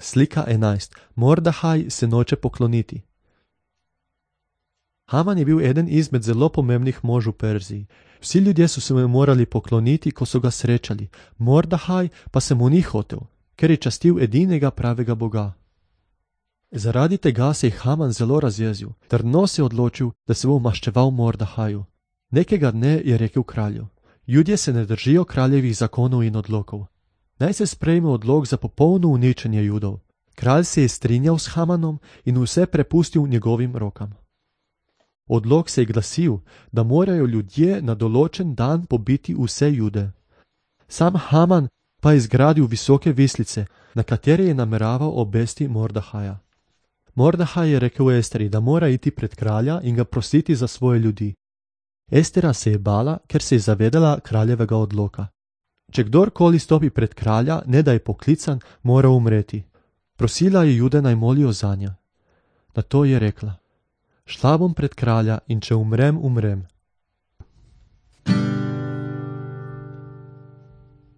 Slika 11. Mordahaj se noče pokloniti. Haman je bil eden izmed zelo pomembnih mož v Perziji. Vsi ljudje so se mu morali pokloniti, ko so ga srečali. Mordahaj pa se mu ni hotel, ker je častil edinega pravega Boga. Zaradi tega se je Haman zelo razjezil, trdno se je odločil, da se bo maščeval Mordahaju. Nekega dne je rekel kralju: Ljudje se ne držijo kraljevih zakonov in odlokov. Naj se sprejme odlok za popolno uničenje Judov. Kralj se je strinjal s Hamanom in vse prepustil njegovim rokam. Odlok se je glasil, da morajo ljudje na določen dan pobiti vse Jude. Sam Haman pa je zgradil visoke vislice, na katere je nameraval obesti Mordahaja. Mordahaj je rekel Esteri, da mora iti pred kralja in ga prositi za svoje ljudi. Estera se je bala, ker se je zavedala kraljevega odloka. Če kdorkoli stopi pred kralja, ne da je poklican, mora umreti. Prosila je Jude naj molijo zanjo. Nato je rekla: Šla bom pred kralja in če umrem, umrem,